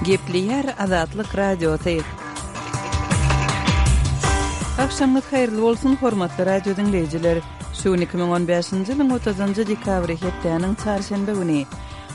Gepleýär Azatlyk Radiosy. Agşamyňyz haýyrly bolsun, hormatly radio diňleýjiler! Şu gün 2015-nji ýylyň 30-njy dekabry, hepdäniň çarşenbe güni.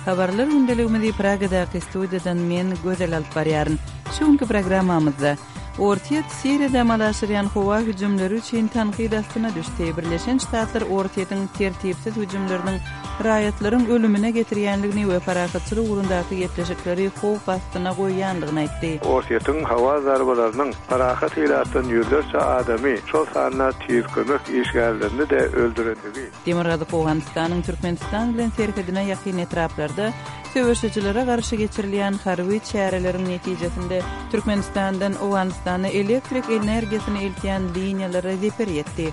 Habarlar gündeligimizi Pragadaky studiýadan men, Gözel alyp barýaryn. Şu günki programmamyzda, Orsýet Siriýada amala aşyrýan howa hüjümleri üçin tankyt astyna düşdi. Birleşen Ştatlar Orsýetiň tertipsiz hüjümleriniň raýatlaryň ölümine getirýändigini we parahatçylyk ugrundaky gepleşikleri howp astyna goýýandygyny aýtdy. Orsýetiň howa zarbalarynyň parahat ilatdan ýüzlerçe adamy, şol sanda tiz kömek işgärlerini-de öldürendigi. Demirgazyk Owganystanyň Türkmenistan bilen serhedine ýakyn etraplarda söweşijilere garşy geçirilýän harby çäreleriň netijesinde Türkmenistandan Owganystana elektrik energiýasyny eltýän liniýalara zeper ýetdi.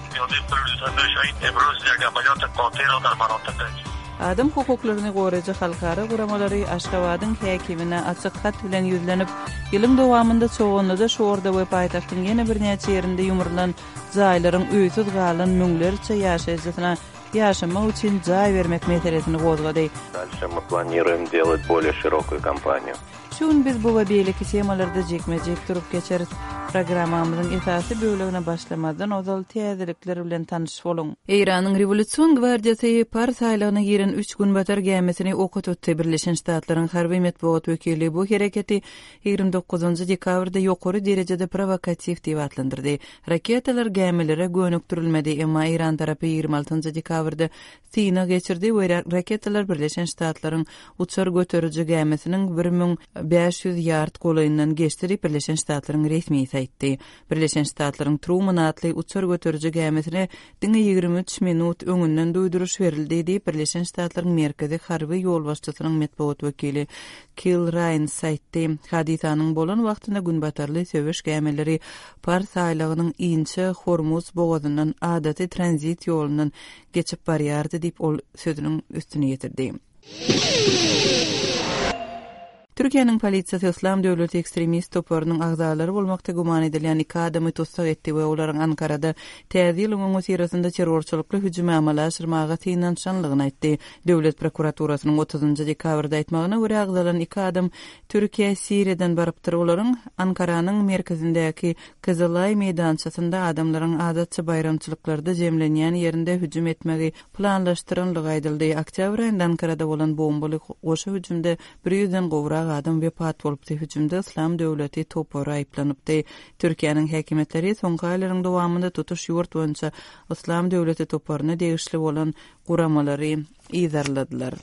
Adam hukuklaryny goraýjy halkara guramalary Aşgabadyň häkimine açyk hat bilen ýüzlenip, ýylyň dowamynda Çoganlyda, Şorda we paýtagtyň ýene birnäçe ýerinde ýumrulan jaýlaryň öýsüz galan müňlerçe ýaşaýjysyna ýaşamak üçin jaý bermek meselesini gozgady. Дальше мы планируем делать более широкую кампанию. Şu gün biz bu we beýleki temalarda jikme-jik durup geçeris. Programmamyzyň esasy bölegine başlamazdan ozal täzelikler bilen tanyş boluň. Eýranyň Rewolýusion gwardiýasy Pars aýlagyna giren üç günbatar gämisini oka tutdy. Birleşen Ştatlaryň harby metbugat wekili bu hereketi 29 dekabrda ýokary derejede prowokatiw diýip atlandyrdy. Raketalar gämilere gönükdirilmedi, emma eýran tarapy 26 dekabrda synag geçirdi we raketalar Birleşen Ştatlaryň uçar göteriji gämisiniň 1500 ýard golaýyndan geçdi diýip, Birleşen Ştatlaryň resmisi aýtdy. Birleşen Ştatlaryň Truman atly uçar göteriji gämisine diňe 23 minut öňünden duýduryş berildi diýip, Birleşen Ştatlaryň Merkezi harby ýolbaşçysynyň metbugat wekili Kil Raýns aýtdy. Hadysanyň bolan wagtynda günbatarly söweş gämileri Pars aýlagynyň inçe Hormuz bogazyndan adaty tranzit ýolundan geçip barýardy diýip, ol sözüniň üstüni ýetirdi. Türkiýäniň polisiýasy Yslam döwleti ekstremist toparynyň agzalary bolmakda güman edilýän iki adamy tussag etdi we olaryň Ankarada Täze ýylyň öňüsyrasynda terrorçylykly hüjümi amala aşyrmaga synanyşanlygyny aýtdy. Döwlet prokuraturasynyň otuzynjy dekabrda aýtmagyna görä, agzalan iki adam Türkiýä Siriýadan barypdyr. Olaryň Ankaranyň merkezindäki Kyzylaý meýdançasynda adamlaryň adatça baýramçylyklarda jemlenýän ýerinde hüjüm etmegi planlaşdyranlygy aýdyldy. Oktýabr aýynda Ankarada bolan bombaly goşa hüjümde bir ýüzden gowrak adam wepat bolupdy. Hüjümde Yslam döwleti topary aýyplanypdy. Türkiýäniň häkimiýetleri soňky aýlaryň dowamynda tutuş ýurt boýunça Yslam döwleti toparyna degişli bolan guramalary yzarladylar.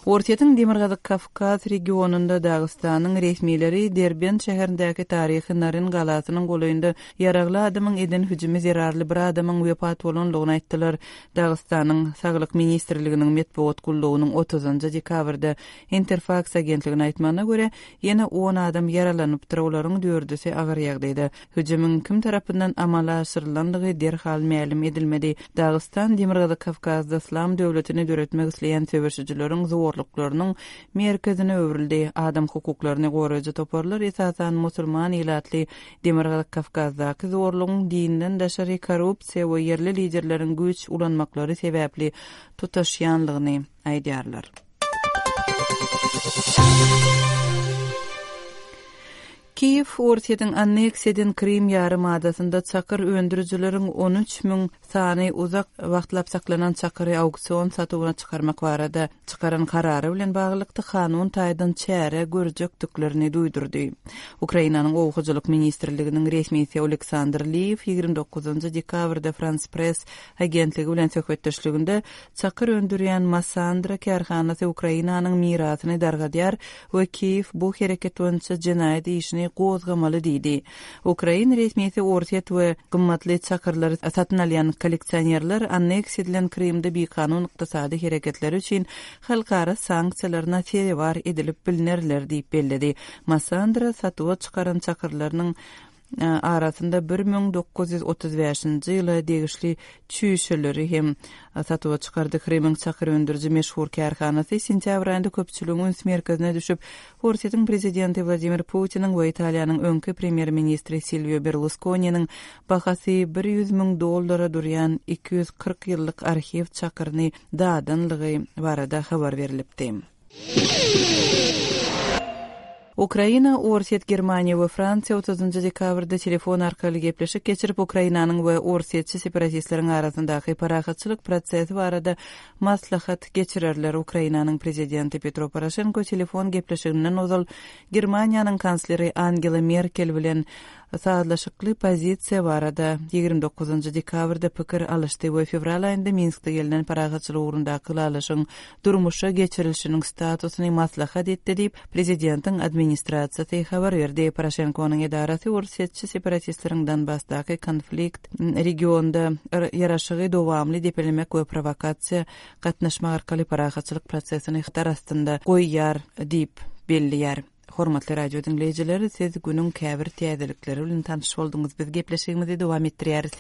Orsýetiň Demirgazyk Kawkaz regionynda Dagystanyň resmileri Derbent şäherindäki taryhy Naryn galasynyň golaýynda ýaragly adamyň eden hüjümi zerarly bir adamyň wepat bolandygyny aýtdylar. Dagystanyň Saglyk ministrliginiň metbugat gullugynyň otuzynjy dekabrda Interfaks agentligine aýtmagyna görä, ýene on adam ýaralanypdyr, olaryň dördüsi agyr ýagdaýda. Hüjümiň kim tarapyndan amala aşyrylandygy derhal mälim edilmedi. Dagystan Demirgazyk Kawkazda Yslam döwletini döretmek isleýän söweşijileriň zorluklarynyň merkezine öwrüldi. Adam hukuklaryny goraýjy toparlar esasan musulman ilatly Demirgazyk Kawkazdaky zorlugyň dinden daşary korrupsiýa we ýerli liderleriň güýç ulanmaklary sebäpli tutaşýanlygyny aýdýarlar. Kiýew Orsýetiň anneksiýa eden Krym ýarym adasynda çakyr öndürijileriň 13 müň sany uzak wagtlap saklanan çakyry auksion satuwyna çykarmak barada çykaran karary bilen baglylykda kanun taýdan çäre görjekdiklerini duýdurdy. Ukrainanyň Oba hojalyk ministrliginiň resmisi Oleksandr Liýew 29 dekabrda Frans Press agentligi bilen söhbetdeşliginde çakyr öndürýän Massandra kärhanasy Ukrainanyň mirasyny dargadýar we Kiýew bu hereket boýunça jenaýat işini gozgamaly diýdi. Ukrain resmisi Orsýet we gymmatly çakyrlary satyn alýan kolleksionerler anneksiýa edilen Krymda bikanun ykdysady hereketleri üçin halkara sanksiýalaryna sezewar edilip bilnerler diýip belledi. Massandra satuwa çykaran çakyrlarynyň arasynda 1935-nji ýyla degişli çüýşeleri hem satuwa çykardy. Krymyň çakyr öndüriji meşhur kärhanasy sentýabr aýynda köpçüligiň üns merkezine düşüp, Orsýetiň prezidenti Wladimir Putiniň we Italiýanyň öňki premýer-ministri Silwio Berluskoniniň bahasy 100 müň dollara durýan 240 ýyllyk arhiw çakyryny dadanlygy barada habar berlipdi. Ukraina, Orsýet, Germaniýa we Fransiýa otuzynjy dekabrda telefon arkaly gepleşik geçirip, Ukrainanyň we orsýetçi separatistleriň arasyndaky parahatçylyk prosesi barada maslahat geçirerler. Ukrainanyň prezidenti Petro Poroşenko telefon gepleşiginden ozal Germaniýanyň kansleri Angela Merkel bilen sazlaşykly pozisiýa barada 29 dekabrda pikir alyşdy we fewral aýynda Minskde gelnen parahatçylyk ugrundaky ylalaşygyň durmuşa geçirilişiniň statusyny maslahat etdi diýip, prezidentiň administrasiýasy habar berdi. Poroşenkonyň edarasy orsýetçi separatistleriň Donbasdaky konflikt regionda ýaraşygy dowamly depelemek we prowokasiýa gatnaşmak arkaly parahatçylyk prosesini hatar astynda goýýar diýip belleýär. Hormatly radio diňleýjiler, siz günüň käbir täzelikleri bilen tanyş bolduňyz. Biz gepleşigimizi dowam etdirýäris.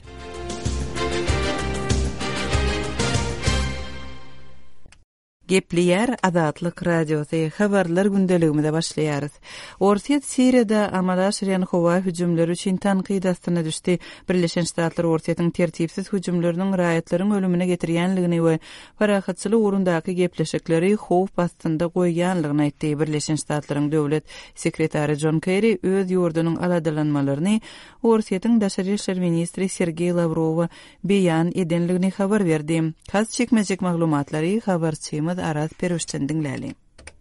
Gepleýär Azatlyk Radiosy, Habarlar gündeligimize başlaýarys. Orsýet Siriýada amala aşyrýan howa hüjümleri üçin tankyt astyna düşdi. Birleşen Ştatlar Orsýetiň tertipsiz hüjümleriniň raýatlaryň ölümine getirýänligini we parahatçylyk ugrundaky gepleşikleri howp astynda goýýanlygyny aýtdy. Birleşen Ştatlaryň döwlet sekretary Jon Kerri öz ýurdunyň aladalanmalaryny Orsýetiň daşary işler ministri Sergeý Lawrowa beýan edenligini habar berdi. Has çekmejek maglumatlary habarçymyz Araz Perwişden diňläli.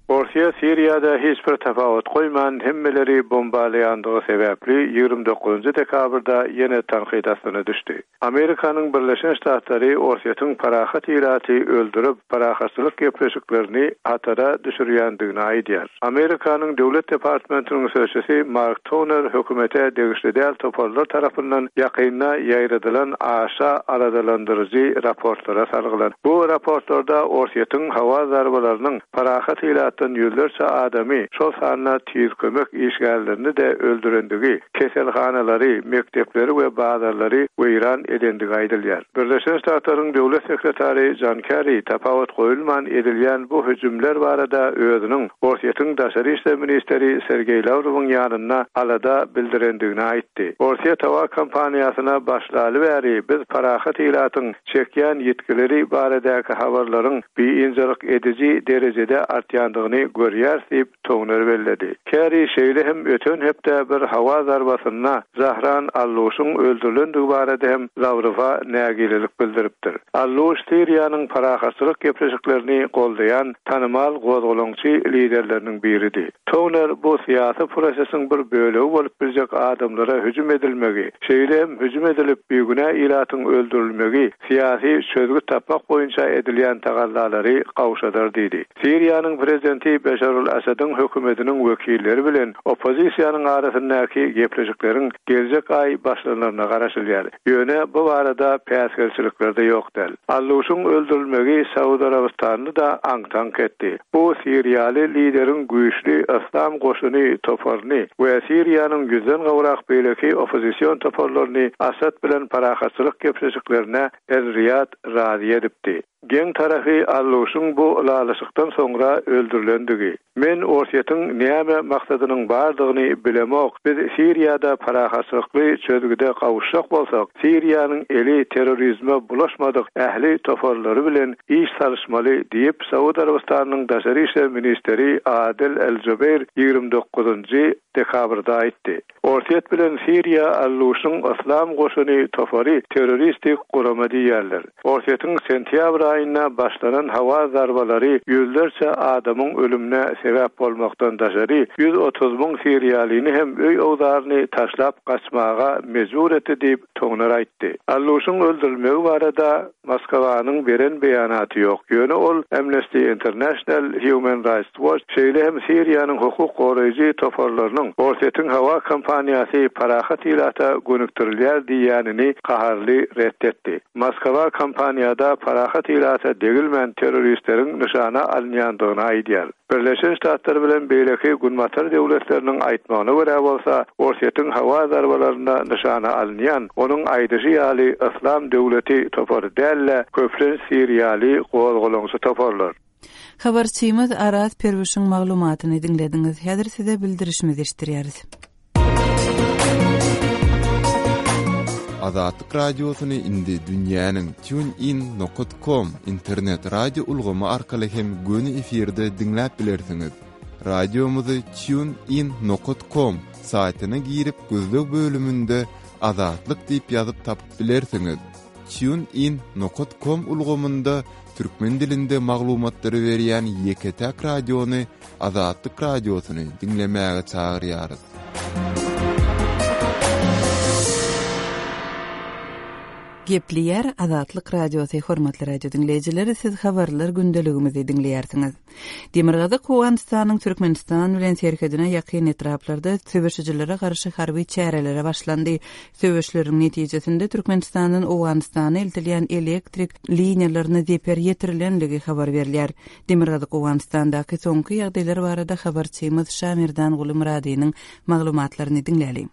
Orsýet Siriýada hiç bir tapawut goýman hemmeleri bombalaýandygy sebäpli 29 dekabrda ýene tankyt astyna düşdi. Amerikanyň Birleşen Ştatlary Orsýetiň parahat ilaty öldürip, parahatçylyk gepleşiklerini hatara düşürýändigini aýdýar. Amerikanyň Döwlet departmentiniň sözçüsi Mark Toner hökümete degişli däl toparlar tarapyndan ýakynda ýaýradylan aşa aladalandyryjy raportlara salgylan. Bu raportlarda Orsýetiň howa zarbalarynyň parahat ilatdan ýüzlerçe adamy, şol sanda tiz kömek işgärlerini-de öldürendigi, keselhanalary, mekdepleri we bazarlary weýran edendigi aýdylýar. Birleşen Ştatlaryň Döwlet sekretary Jon Kerri tapawut goýulman edilýän bu hüjümler barada özüniň Orsýetiň daşary işler ministri Sergeý Lawrowyň ýanynda alada bildirendigini aýtdy. Orsýet howa kampaniýasyna başlaly bäri biz parahat ilatyň çekýän ýitgileri baradaky habarlaryň biynjalyk ediji derejede artýandygyny görýäris diýip, Toner belledi. Kerri şeýle hem öten hepde bir howa zarbasynda Zahran Alluşyň öldürilendigi barada hem Lawrowa nägilelik bildiripdir. Alluş Siriýanyň parahatçylyk gepleşiklerini goldaýan tanymal gozgalaňçy liderleriniň biridi. Toner bu syýasy prosesiň bir bölegi bolup biljek adamlara hüjüm edilmegi, şeýle hem hüjüm edilip bigünä ilatyň öldürilmegi syýasy çözgüt tapmak boýunça edilýän tagallalary gowşadar diýdi. Siriýanyň prezidenti Beşar al-Assadyň hökümetiniň wekilleri bilen oppozisiýanyň arasyndaky gepleşikleriň geljek aý başlanaryna garaşylýar. Ýöne bu barada päsgelçilikler-de ýok däl. Alluşyň öldürilmegi Saud Arabystanyny-da aňk-taňk etdi. Bu siriýaly lideriň güýçli Yslam goşuny toparyny we Siriýanyň ýüzden gowrak beýleki oppozision toparlaryny Assad bilen parahatçylyk gepleşiklerine Er-Riýad razy edipdi. Geň tarapy Alluşyň bu ylalaşykdan soňra öldürilendigi. Men Orsýetiň näme maksadynyň bardygyny bilemok, biz Siriýada parahatçylykly çözgüde gowuşjak bolsak, Siriýanyň eli terrorizme bulaşmadyk ähli toparlary bilen iş salyşmaly diýip, Saud Arabystanynyň daşary işler ministri Adel el-Jubeýr 29-njy dekabrda aýtdy. Orsýet bilen Siriýa Alluşyň Yslam goşuny topary terroristik gurama diýýärler. Orsýetiň sentýabr aýynda başlanan howa zarbalary ýüzlerçe adamyň ölümine sebäp bolmakdan daşary, 130 siriýalyny hem öý-owzaryny taşlap gaçmaga mejbur etdi diýip, Toner aýtdy. Alluşyň öldürilmegi barada Moskwanyň beren beýanaty ýok, ýöne ol Amnesty International, Human Rights Watch, şeýle hem Siriýanyň hukuk goraýjy toparlarynyň Orsýetiň howa kampaniýasy parahat ilata gönükdirilýär diýýänini gaharly ret etdi. Moskwa kampaniýada parahat ilata degilmän terroristleriň nyşana alynýandygyny aýdýar. Birleşen Ştatlar bilen beýleki Günbatar döwletleriniň aýtmagyna görä bolsa, Orsýetiň howa zarbalarynda nyşana alynýan, onuň aýdyşy ýaly, Yslam döwleti topary däl-de, köplenç siriýaly gozgalaňçy toparlar. Habarçymyz Araz Perwişiň maglumatyny diňlediňiz. Häzir size bildirişimizi eşitdirýäris. Azatlyk Radiosyny indi dünýäniň TuneIn nokat com internet radio ulgamy arkaly hem göni efirde diňläp bilersiňiz. Radiomyzy TuneIn nokat com saýtyna girip gözleg bölüminde Azatlyk diýip ýazyp tapyp bilersiňiz. TuneIn nokat com ulgamynda türkmen dilinde maglumatlary berýän ýeke-täk radiony Azatlyk Radiosyny diňlemäge çagyrýarys. Gepleýär Azatlyk Radiosy Hormatly radio diňleýjiler, siz habarlar gündeligimizi diňleýärsiňiz. Demirgazyk Owganystanyň Türkmenistan bilen serhedine ýakyn etraplarda söweşijilere garşy harby çärelere başlandy. Söweşleriň netijesinde Türkmenistandan Owganystana eltilýän elektrik liniýalaryna zeper ýetirilenligi habar berilýär. Demirgazyk Owganystandaky soňky ýagdaýlar barada habarçymyz Şamerdanguly Myradynyň maglumatlaryny diňläliň.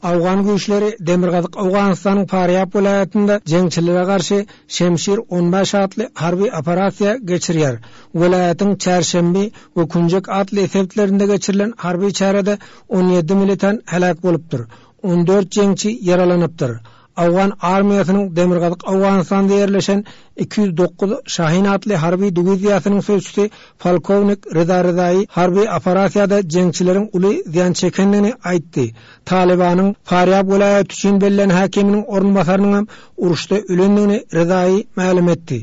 Owgan güýçleri Demirgazyk Owganystanyň Farýab welaýatynda jeňçilere garşy Şemşir 15 atly harby operasiýa geçirýär. Welaýatyň Çärşenbi we Künjek atly sebitlerinde geçirilen harby çärede 17 militant heläk bolupdyr, 14 jeňçi ýaralanypdyr. Owgan armiýasynyň Demirgazyk Owganystanda ýerleşen 209 Şahin atly harby diwiziýasynyň sözçüsi polkownik Reza Rezaýy harby operasiýada jeňçileriň uly zyýan çekendigini aýtdy. Talybanyň Farýab welaýaty üçin bellän häkiminiň orunbasarynyňam uruşda ölendigini Rezaýy mälim etdi.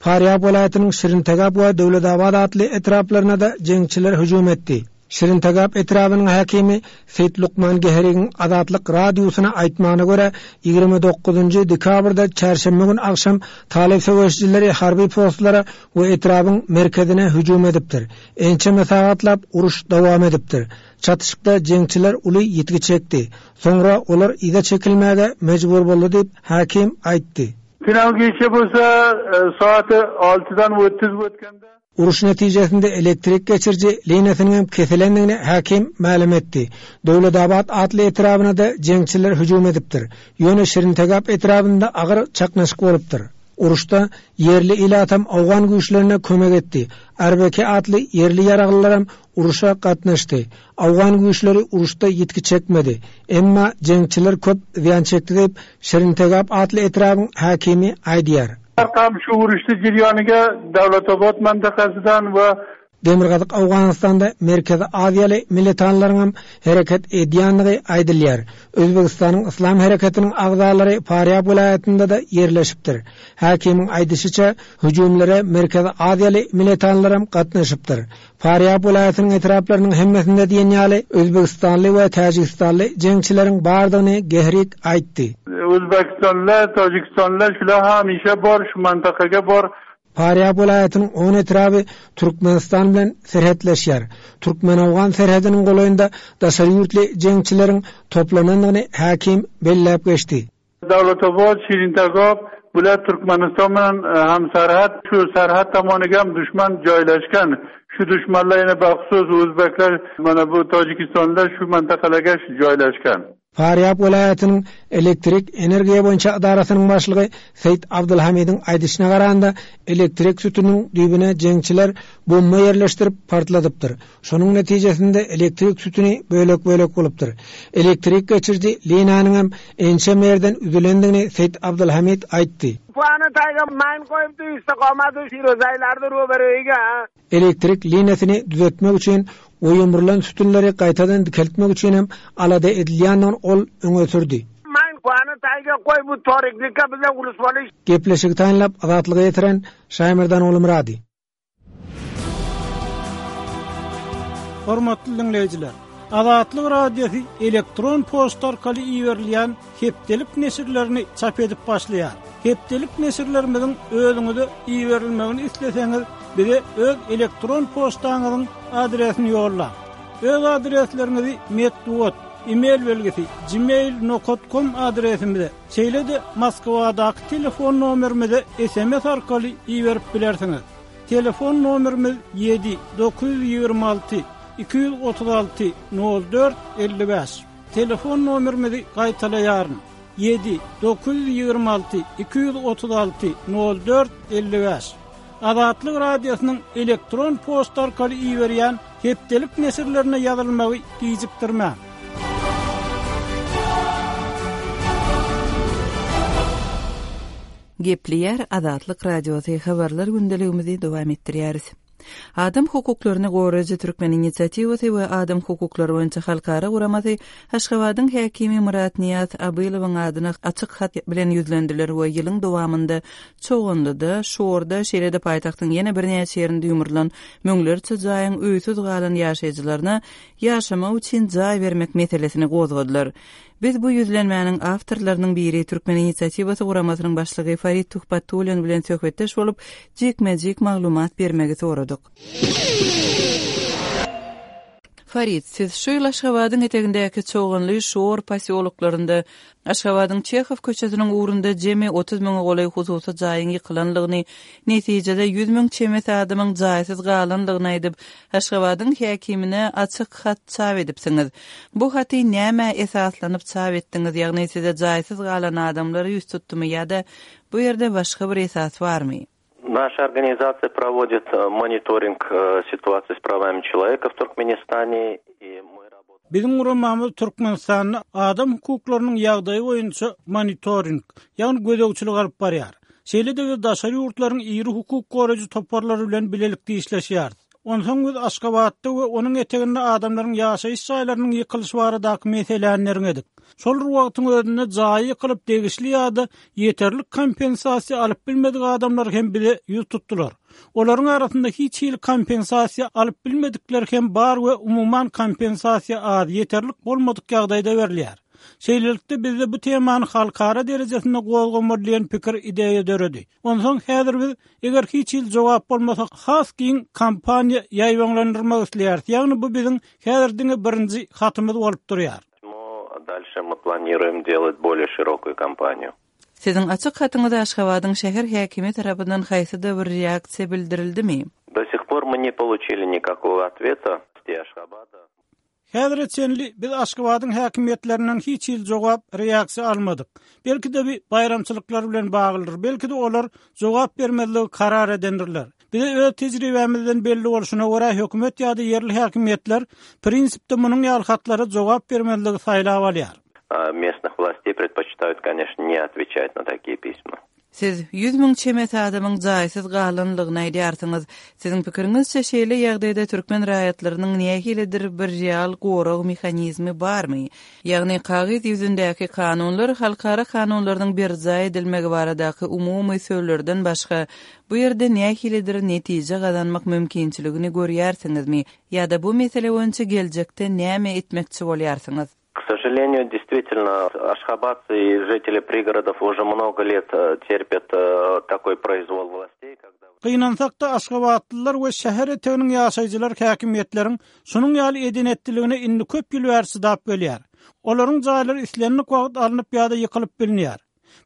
Farýab welaýatynyň Şirintegap we Döwletabat atly etraplaryna-da jeňçiler hüjüm etdi. Şirintegap etrabynyň häkimi Seýit Lukman Geherigiň Azatlyk Radiosyna aýtmagyna görä, 29-njy dekabrda çärşenbe gün agşam talyp söweşijileri harby postlara we etrabyň merkezine hüjüm edipdir. Ençeme sagatlap uruş dowam edipdir. Çatyşykda jeňçiler uly ýitgi çekdi. Soňra olar yza çekilmäge mejbur boldy diýip, häkim aýtdy. Final gije bolsa saat altydan otuz ötkende. Uruş netijesinde elektrik geçiriji liniýasynyň hem kesilendigini häkim mälim etdi. Döwletabat atly etrabyna-da jeňçiler hüjüm edipdir. Ýöne Şirintegap etrabynda agyr çaknyşyk bolupdyr. Uruşda ýerli ilatam owgan güýçlerine kömek etdi. Arbeke atly ýerli ýaraglylaram uruşa gatnaşdy. Owgan güýçleri uruşda ýitgi çekmedi. Emma jeňçiler köp zyýan çekdi diýip, Şirintegap atly etrabyň häkimi aýdýar. Arkam şu uruşdy jiryoniga Davlatobod mantakasydan we. Demirgazyk Owganystanda Merkezi Aziýaly militanlaryňam hereket edýändigi aýdylýar. Özbegistanyň Yslam hereketiniň agzalary Farýab welaýatynda-da ýerleşipdir. Häkimiň aýdyşyça, hüjümlere Merkezi Aziýaly militanlaram gatnaşypdyr. Farýab welaýatynyň etraplarynyň hemmesinde diýen ýaly özbegistanly we täjigistanly jeňçileriň bardygyny Gehrig aýtdy. Özbegistanlylar, Täjigistanlylar şular hemişe bar, şu mantakaga bar. Farýab welaýatynyň on etraby Türkmenistan bilen serhetleşýär. Türkmen-owgan serhediniň golaýynda daşary ýurtly jeňçileriň toplanandygyny häkim belläp geçdi. Dawlatobod, Şirintegap, bular Türkmenistan bilen hamsarhat, şu sarhat tomonigam duşman joylashgan. Shu dushmanlar yana baxusus o'zbeklar, mana bu tojikistonlar shu mintaqalarga joylashgan. Farýab welaýatynyň elektrik energiýa boýunça edarasynyň başlygy Seýit Abdulhamidiň aýdyşyna garanda, elektrik sütüniniň düýbüne jeňçiler bomba ýerleşdirip partladypdyr. Şonuň netijesinde elektrik sütüni bölek-bölek bolupdyr. Elektrik geçiriji liniýanyňam ençeme ýerden üzülendigini Seýit Abdylhamid aýtdy. Puany taýga maýyn goýupdy, istiqomady Firozaýlardy roberoýiga. Elektrik liniýasyny düzetmek üçin we ýumrulan sütünleri gaýtadan dikeltmek üçinem alada edilýändigini ol öňe sürdi. Maýyn puany taýga goý bu toriklikka bize ulusmaly. Gepleşigi taýynlap Azatlyga ýetiren Şaýmerdan Ogulmyrady. Hormatly diňleýjiler! Azatlyk Radiosy elektron poçta arkaly iberilýän hepdelik neşirlerini çap edip başlaýar. Hepdelik neşirlerimiziň özüňize iberilmegini isleseňiz, bize öz elektron poçtaňyzyň adresini ýollaň. Öz adresleriňizi metbugat, e-mail belgisi, gmail nokat kom adresimize, Şeýle-de Moskwadaky telefon nomerimize sms arkaly iberip bilersiňiz. Telefon nomerimiz ýedi 926 236 04 55. Telefon nomerimizi gaýtalaýaryn, ýedi 926 236 04 55. Azatlyk Radiosynyň elektron poçta arkaly iberýän. Hepdelik neşirlerine ýazylmagy gijikdirmäň. Gepleýär Azatlyk Radiosy habarlar gündeligimizi dowam etdirýäris. Adam hukuklaryny goraýjy Türkmen inisiatiwasy we Adam hukuklary boýunça halkara guramasy Aşgabadyň häkimi Myratnyýaz Abylowyň adyna açyk hat bilen ýüzlendiler we ýylyň dowamynda Çoganlyda, Şorda, şeýle-de paýtagtyň ýene birnäçe ýerinde ýumrulan müňlerçe jaýyň öýsüz galan ýaşaýjylaryna ýaşamak üçin jaý bermek meselesini gozgadylar. Biz bu ýüzlenmäniň awtorlarynyň biri, Türkmen inisiatiwasy guramasynyň başlygy Farid Tuhbatullin bilen söhbetdeş bolup, jikme-jik maglumat bermegi soradyk. Farid, siz şu ýyl Aşgabadyň etegindäki Çoganly, Şor posýoloklarynda, Aşgabadyň Çehow köçesiniň ugrunda jemi 30 müňe golaý hususy jaýyň ýykylanlygyny, netijede 100 müň çemesi adamyň jaýsyz galanlygyny aýdyp, Aşgabadyň häkimine açyk hat çap edipsiňiz. Bu haty nämä esaslanyp çap etdiňiz, ýagny size jaýsyz galan adamlar ýüz tutdumy ýa-da bu ýerde başga bir esas barmy? Naşa organizasiýa prowodit monitoring situasiýi s prawami çeloweka w Turkmenistane i my rabotaem. Biziň guramamyz Türkmenistanda adam hukuklarynyň ýagdaýy boýunça monitoring, ýagny gözegçilik alyp barýar. Şeýle-de biz daşary ýurtlaryň iri hukuk goraýjy toparlary bilen bilelikde işleşýäris. Onsoň biz Aşgabatda we onuň eteginde adamlaryň ýaşaýyş jaýlarynyň ýykylyşy baradaky meseläni derňedik. Şol bir wagtyň özünde jaýy ýykylyp degişli ýa-da ýeterlik kompensasiýa alyp bilmedik adamlar hem bize ýüz tutdular. Olaryň arasynda hiç hili kompensasiýa alyp bilmedikler hem bar we umuman kompensasiýa az, ýeterlik bolmadyk ýagdaýda berilýär. Şeýlelikde bizde bu temany halkara derejesinde gozgamaly diýen pikir, ideýa döredi. Onsoň häzir biz eger hiç hili jogap bolmasa has giň kampaniýa ýaýbaňlandyrmak isleýäris, ýagny bu biziň häzir diňe birinji hatymyz bolup durýar. Dalşe my planiruem delat bolýe şirokuýu kampaniýu. Siziň açyk hatyňyza Aşgabadyň şäher häkimi tarapyndan haýsy-da bir reaksiýa bildirildimi? Do sih por my ne poluçili nikakogo otveta s Aşgabada. Häzire çenli biz Aşgabadyň häkimiýetlerinden hiç hili jogap, reaksiýa almadyk. Belki-de bi baýramçylyklar bilen baglydyr, belki-de olar jogap bermezligi karar edendirler. Bize öz tejribämizden belli bolşuna görä, hökümet ýa-da ýerli häkimiýetler prinsipde munuň ýaly hatlara jogap bermezligi saýlap alýar. Местных властей предпочитают, конечно, не отвечать на такие письма. Siz 100 müň çemesi adamyň jaýsyz galanlygyny aýdýarsyňyz. Siziň pikiriňizçe, şeýle ýagdaýda türkmen raýatlarynyň nähilidir bir real gorag mehanizmi barmy? Ýagny kagyz ýüzündäki kanunlar halkara kanunlarynyň berjaý edilmegi baradaky umumy sözlerden başga bu ýerde nähilidir netije gazanmak mümkinçiligini görýärsiňizmi ýa-da bu mesele boýunça geljekde näme etmekçi bolýarsyňyz? K сожалению, действительно, ашхабадцы и жители пригородов уже много лет э, терпят э, такой произвол властей, когда... Gynansak-da, aşgabatlylar we şäher eteginiň ýaşaýjylary häkimiýetleriň şunuň ýaly eden-etdiligine indi köp ýyl bäri çydap gelýär. Olaryň jaýlary islendik wagt alnyp ýa-da ýykylyp bilinýär.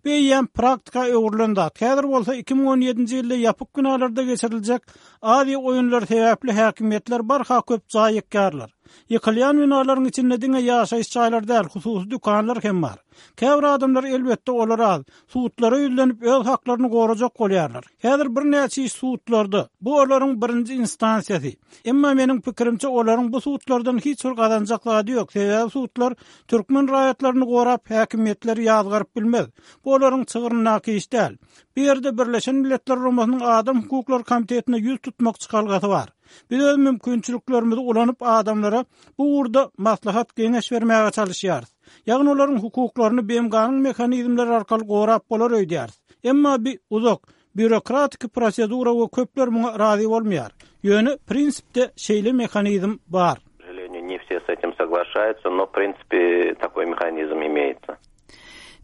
Bu eýýäm praktika öwrülen zat. Häzir bolsa 2017-nji ýylda ýapyk binalarda geçiriljek Aziýa oýunlary sebäpli häkimiýetler barha köp jaý ýykýarlar. Ýykylýan binalaryň içinde diňe ýaşaýyş jaýlary däl, hususy dükanlar hem bar. Käbir adamlar, elbetde, olar az, sudlara ýüzlenip öz haklaryny gorajak bolýarlar. Häzir birnäçe iş sudlarda. Bu olaryň birinji instansiýasy. Emma meniň pikirimçe, olaryň bu sudlardan hiç bir gazanjak zady ýok, sebäbi sudlar Türkmen raýatlaryny gorap, häkimiýetleri ýazgaryp bilmez. Bu olaryň çygryndaky iş däl. Bu ýerde Birleşen Milletler Guramasynyň Adam hukuklary komitetine ýüz tutmak çykalgasy bar. Biz öz mümkinçiliklerimizi ulanyp, adamlara bu ugurda maslahat-geňeş bermäge çalyşýarys. Ýagny olaryň hukuklaryny BMG-niň mehanizmleri arkaly gorap bolar öýdýäris. Emma bi uzak, býurokratiki prosedura we köpler muňa razy bolmaýar. Ýöne prinsipde şeýle mehanizm bar. K сожалению, не все с этим соглашаются, но в принципе такой механизм имеется.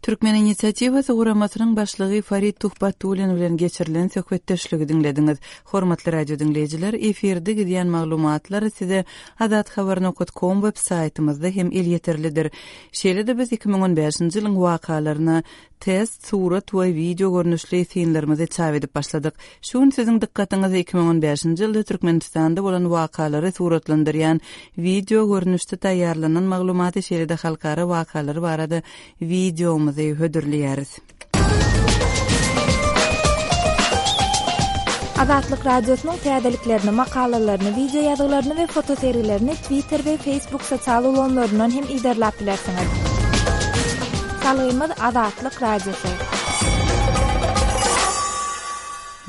Türkmen inisiatiwasy guramasynyň başlygy Farid Tuhbatullin bilen geçirilen söhbetdeşligi diňlediňiz. Hormatly radio diňleýjiler, efirde gidýän maglumatlar size azathabar nokat kom web saýtymyzda hem elýeterlidir. Şeýle-de biz 2015-nji ýylyň wakalaryna Test, surat we wideo görnüşli synlarymyzy çap edip başladyk. Şu gün siziň dykgatyňyza 2015-nji ýylda Türkmenistanda bolan wakalary suratlandyrýan wideo görnüşde taýýarlanan maglumaty şeýle-de halkara wakalary barada wideomyzy hödürleýäris. Azatlyk Radiosynyň täzeliklerini, makalalaryny, wideo ýazgylaryny we fotosergilerini Twitter we Facebook sosial ulgamlaryndan hem yzarlap bilersiňiz. Salgymyz Azatlyk Radiosy.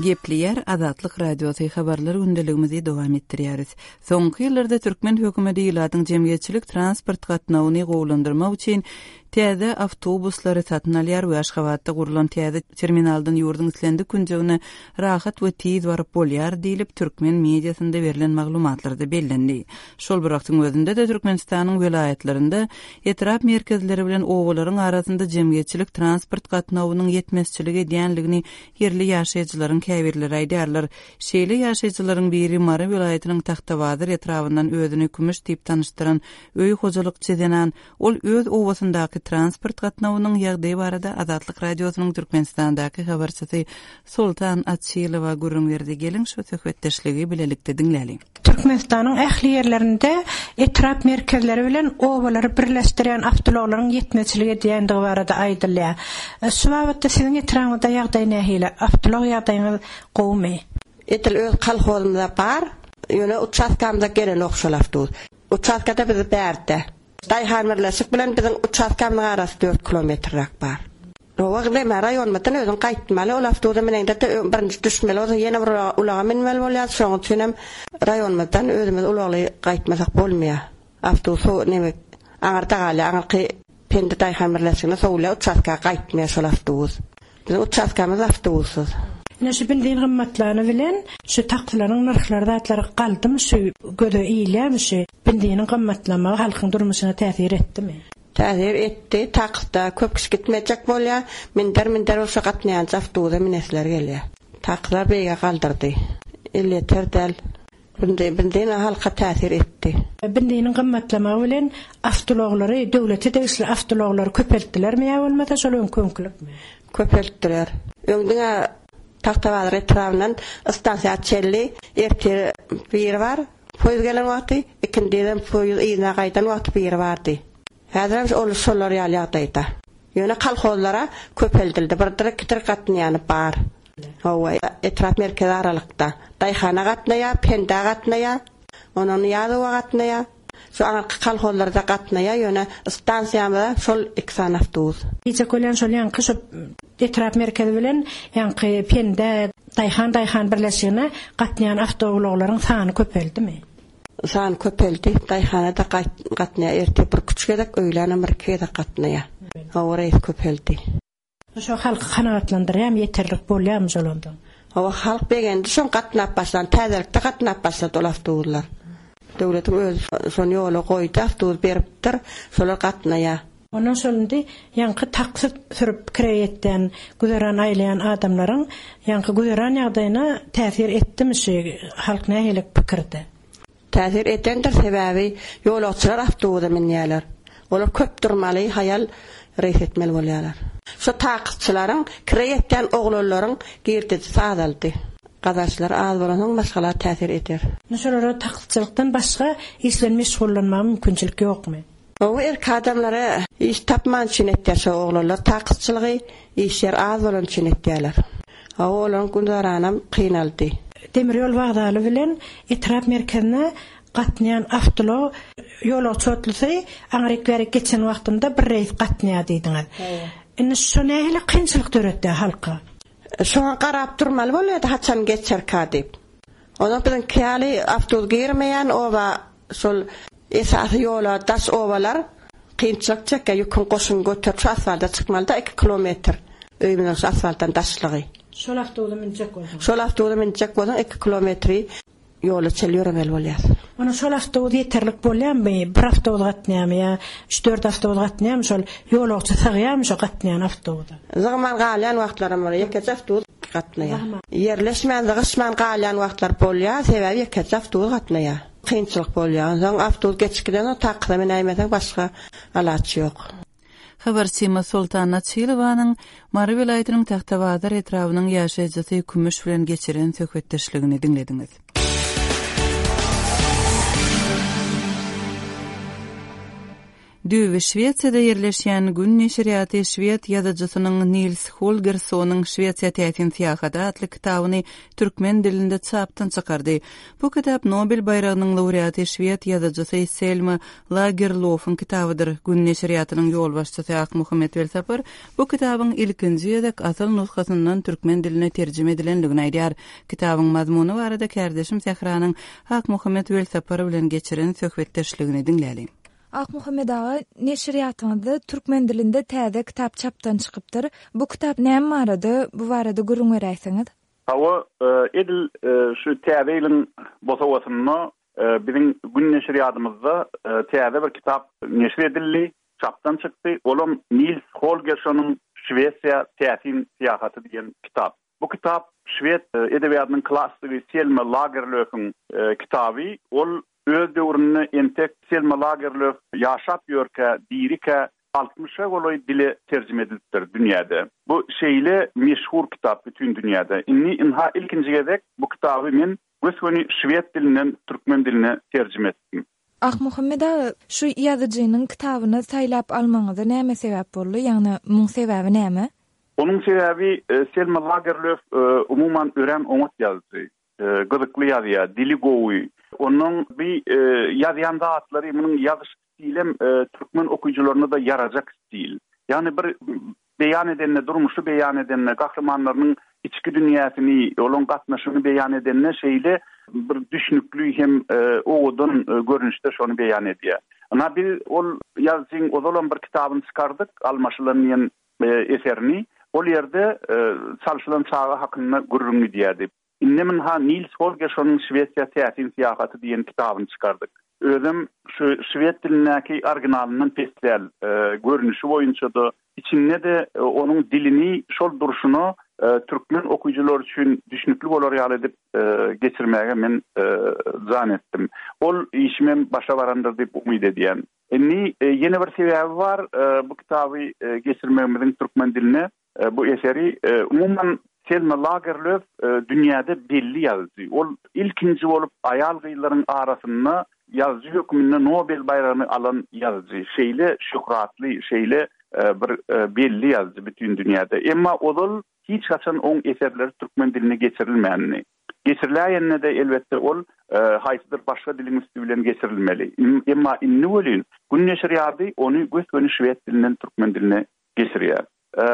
Gepleýär Azatlyk Radiosy habarlar gündeligimizi dowam etdirýäris. Soňky ýyllarda türkmen hökümeti ilatyň jemgyýetçilik transport gatnawyny gowulandyrmak üçin täze awtobuslary satyn alýar we Aşgabatda gurlan täze terminaldan ýurduň islendik künjegine rahat we tiz baryp bolýar diýlip, türkmen mediasynda berlen maglumatlarda bellendi. Şol bir wagtyň özünde-de Türkmenistanyň welaýatlarynda etrap merkezleri bilen obalaryň arasynda jemgyýetçilik transport gatnawynyň ýetmezçilik edýänligini ýerli ýaşaýjylaryň käbirleri aýdýarlar. Şeýle ýaşaýjylaryň biri Mary welaýatynyň Tagtabazar etrabyndan özüni Kümüş diýip tanyşdyran öý hojalykçy zenan. Ol öz obasyndaky transport gatnawynyň ýagdaýy barada Azatlyk Radiosynyň Türkmenistandaky habarçysy Soltan Açylowa gürrüň berdi. Geliň, şu söhbetdeşligi bilelikde diňläliň. Türkmenistanyň ähli ýerlerinde etrap merkezleri bilen obalary birleşdirýän awtoulaglaryň ýetmezçilik edýändigi barada aýdylýar. Şu babatda siziň etrabyňyzda ýagdaý nähili? Awtoulag ýagdaýyňyz gowumy? Edil öz kolhozymyzda bar, ýöne uçastkamyza gelenok şol awtobus. Uçastkada biz bärde. Daýhan birleşik bilen biziň uçastkamyzyň arasy dört kilometrräk bar. Oba neme raýonymyzdan özüň gaýtmaly, ol awtobusa mineňde-de birinji düşmeli bolsa ýene bir ulaga münmeli bolýar, şonuň üçinem raýonymyzdan özümiz ulagly gaýtmasak bolmaýar. Awtobus neme aňyrda galýar, aňyrky Pendi daýhan birleşigine sowulýar, uçastka gaýtmaýar şol awtobus. Biziň uçastkamyz awtobussyz. Ine şu benzin gymmatlany bilen şu taksileriň nyrhlary zatlary galdymy şu göze ilýärmi şu benziniň gymmatlamagy halkyň durmuşyna täsir etdimi? Täsir etdi, taksda köp kişi gitmejek bolýar, minder minder bolsa gatnaýança awtobusa minesleri gelýär. Taksiler beýige galdyrdy. Elýeter däl. Benzin halka täsir etdi. Benziniň gymmatlamagy bilen awtoulaglary, döwlete degişli awtoulaglary köpeltdilermi ýa bolmasa şol öňki öňkülikmi? Köpeltdiler. Öň diňe Tagtabazar etrabyndan stansiýa çenli ertir biri bar, poýuz gelen wagty, ikindizem poýuz yzyna gaýdan wagty biri bardy. Häzirem ol şolar ýaly ýagdaýda. Ýöne kolhozlara köpeldildi. Birdir, ikidir gatnaýany bar. Hawa, etrap merkezi aralykda. Daýhana gatnaýar, Pendä gatnaýar, ondan Nyýazowa gatnaýar. Şu aňyrky kolhozlarda gatnaýar, ýöne stansiýamyza şol iki sany awtobus. Diýjek bolýan şol ýaňky şu etrap merkezi bilen ýaňky Pendä, Daýhan daýhan birleşigine gatnaýan awtoulaglaryň sany köpeldimi? Sany köpeldi. Daýhana-da gatnaýar. Ertir birküç gezek, öýlänem birki gezek gatnaýar. Hawa, reýs köpeldi. Şo halky kanagatlandyrýarmy, ýeterlik bolýarmy şol ondan? Hawa, halk begendi şoň gatnap başlan. Täzelikde gatnap başlady ol awtobuslar. Döwletiň özi şony ýola goýdy, awtobus beripdir, şolar gatnaýar. Ondan şol indi ýaňky taksi sürüp kireý etýän, güzeran aýlaýan adamlaryň ýaňky güzeran ýagdaýyna täsir etdimi şu halk nähili pikirde? Täsir edendir, sebäbi ýolagçylar awtobusa münýärler. Olar köp durmaly, haýal reýs etmeli bolýarlar. Şo taksçylaryň, kireý etýän oglanlaryň girdejisi azaldy. Gazançlary az bolansoň maşgala täsir eder. Indi şolara taksçylykdan başga iş bilen meşgullanmaga mümkinçilik ýokmy? Gowy erk adamlara iş tapman üçin etýär şo oglanlar takyzçylygy iş ýer az bolany üçin etýärler. Hawa olaryň günzaranam kynaldy. Demir ýol wokzaly bilen etrap merkezine gatnaýan awtoulag ýolagçy otlusy aňryk-bärik geçen wagtynda bir reýs gatnaýar diýdiňiz. Indi şo nähili kynçylyk döretýär halka? Şoňa garap durmaly bolýardy haçan geçerka diýip. Onsoň biziňki ýaly awtobus girmeýän oba Şol esasy ýola daş obalar kynçylyk çekýär, ýüküň goşuny göterip şu asfalta çykmalyda iki kilometr öýümiziň şu asfaltdan daşlygy. Şol awtobusa münjek bolsaň. Şol awtobusa münjek bolsaň iki kilometri ýola çenli ýöremeli bolýar. Onda şol awtobus ýeterlik bolýarmy? Bir awtobus gatnaýarmy ýa üç-dört awtobus gatnaýarmy şol ýolagçy sygýarmy şo gatnaýan awtobusa? Sygman galýan wagtlaram bolýar. Ýekeje awtobus gatnaýar. Ýerleşmän, zygyşman galýan wagtlar bolýar, sebäbi ýekeje awtobus gatnaýar. Kynçylyk bolýar. Onsoň awtobus geçip gidensoň taksa minäýmeseň başga alaç ýok. Habarçymyz Soltan Açylowanyň Mary welaýatynyň Tagtabazar etrabynyň ýaşaýjysy Kümüş bilen geçiren söhbetdeşligini diňlediňiz. Düýbi Şwesiýada ýerleşýän Gün neşirýaty şwed ýazyjysynyň Nils Holgerssonyň Şwesiýa täsin syýahaty atly kitabyny türkmen dilinde çapdan çykardy. Bu kitap Nobel baýragynyň laureaty şwed ýazyjysy Selma Lagerlofyň kitabydyr. Gün neşirýatynyň ýolbaşçysy Akmuhammet Welsapar bu kitabyň ilkinji gezek asyl nusgasyndan türkmen diline terjime edilendigini aýdýar. Kitabyň mazmuny barada kärdeşim Sähranyň Akmuhammet Welsapar bilen geçiren söhbetdeşligini diňläliň. Akmuhammet aga, neşirýatyňyzda türkmen dilinde täze kitap çapdan çykypdyr. Bu kitap näme barada, bu barada gürrüň beräýseňiz? Hawa, edil şu täze ýylyň bosagasynda biziň Gün neşirýadymyzda täze bir kitap neşir edildi, çapdan çykdy. Olam Nils Holgerssonyň Şwesiýa täsin syýahaty diýen kitap. Bu kitap şwed edebiýatynyň klassygy Selma Lagerlöfiň kitaby. Ol öz döwründe entek Selma Lagerlöf ýaşap ýörkä, dirikä altmyşa golaý dile terjime edilipdir dünýäde. Bu şeýle meşhur kitap bütin dünýäde. Indi ynha ilkinji gezek bu kitaby men gös-göni şwed dilinden türkmen diline terjime etdim. Akmuhammet aga, şu ýazyjynyň kitabyny saýlap almagyňyza näme sebäp boldy? Ýagny muň sebäbi näme? Onuň sebäbi Selma Lagerlöf umuman örän oňat ýazyjy. Gyzykly ýazýar, dili gowy. Onuň bi ýazýan zatlary, munuň ýazyş stilem türkmen okyjylaryna-da ýarajak stil. Ýagny bir beýan edende, durmuşy beýan edende, gahrymanlarynyň içki dünýäsini, olaryň gatnaşygyny beýan edende şeýle bir düşnükli hem owadan görnüşde şony beýan edýär. Ynha, biz ol ýazyjyň ozalam bir kitabyny çykardyk, Almaşylan diýen eserini. Ol ýerde çalşylan çaga hakynda gürrüň gidýärdi. Indem ynha Nils Holgerssonyň Şwesiýa täsin syýahaty diýen kitabyny çykardyk. Özem şu şwed dilindäki originalyndan pes däl, görnüşi boýunça-da, içinde-de onuň dilini şol durşuna türkmen okyjylary üçin düşnükli bolar ýaly edip geçirmäge men jan etdim. Ol işimem başa barandyr diýip umyt edýän. Indi ýene bir sebäbi bar bu kitaby geçirmegimiziň türkmen diline. Bu eseri umuman Selma Lagerlöf dünýäde belli ýazyjy. Ol ilkinji bolup aýal-gyzlaryň arasynda ýazyjy hökmünde Nobel baýragyny alan ýazyjy. Şeýle şöhratly, şeýle bir belli ýazyjy bütin dünýäde. Emma ozal hiç haçan oň eserleri türkmen diline geçirilmändi. Geçiriläýende-de elbetde ol haýsydyr başga diliň üsti bilen geçirilmeli. Emma indi welin Gün neşirýady ony gös-göni şwed dilinden türkmen diline geçirýär.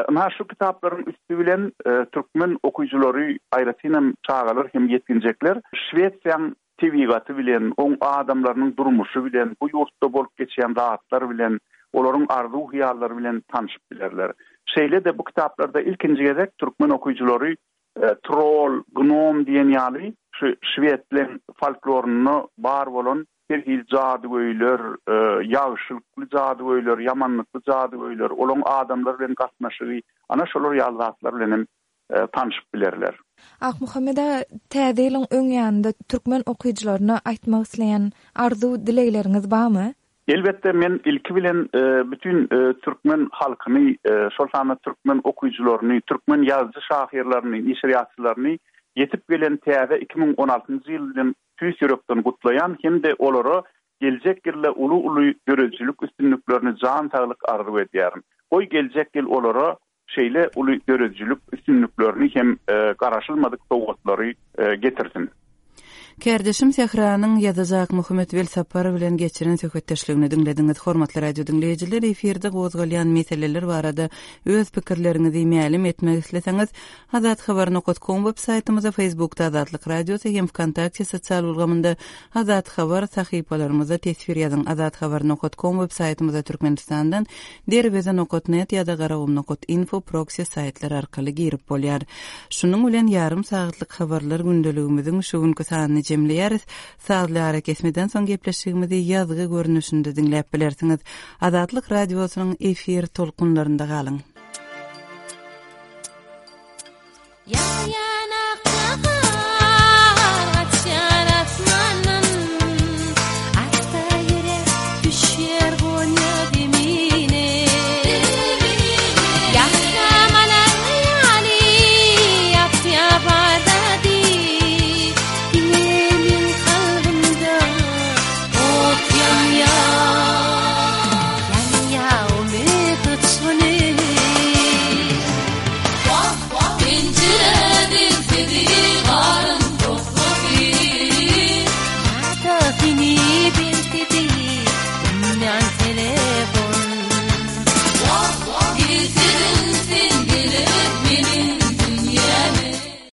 Ynha şu kitaplaryň üsti bilen türkmen okyjylary, aýratynam çagalar hem ýetginjekler Şwesiýaň tebigaty bilen, oň adamlarynyň durmuşy bilen, bu ýurtda bolup geçýän zatlar bilen, olaryň arzuw-hyýallary bilen tanşyp bilerler. Şeýle-de bu kitaplarda ilkinji gezek türkmen okyjylary trol, gnom diýen ýaly şu şwedleň folklorynda bar bolan Her hili jadygöýler, ýagşylykly jadygöýler, ýamanlykly jadygöýler, olaň adamlar bilen gatnaşygy, ana şolar ýaly zatlar bilen hem tanşyp bilerler. Akmuhammet aga, Täze ýylyň öň ýanynda türkmen okyjylaryna aýtmak isleýän arzuw-dilegleriňiz barmy? Elbetde, men ilki bilen bütin türkmen halkyny, şol sanda türkmen okyjylaryny, türkmen ýazyjy-şahyrlaryny, neşirýatçylaryny ýetip gelen täze 2016-njy ýyl bilen tüýs ýürekden gutlaýan hem-de olara geljek ýylda uly-uly döredijilik üstünliklerini jan saglyk arzuw edýärin. Goý geljek ýyl olara şeýle uly döredijilik üstünliklerini hem garaşylmadyk sowgatlary getirsin. Kärdeşim Sähranyň ýazyjy Akmuhammet Welsapar bilen geçiren söhbetdeşligini diňlediňiz. Hormatly radio diňleýjiler, efirde gozgalýan meseleler barada öz pikirleriňizi mälim etmek isleseňiz, Azathabar nokat kom web saýtymyza, Facebookda Azatlyk Radiosy hem Wkontakte sosial ulgamynda Azathabar sahypalarymyzda teswir ýazyň. Azathabar nokat kom web saýtymyza Türkmenistandan Derweze nokat net ýa-da Garagum nokat info proksi saýtlary arkaly girip bolýar. Şunuň bilen ýarym sagatlyk habarlar gündeligimiziň şu günki sanyny jemleýäris. Sazly arakesmeden soň gepleşigimizi ýazgy görnüşinde diňläp bilersiňiz. Azatlyk Radiosynyň efir tolkunlarynda galyň.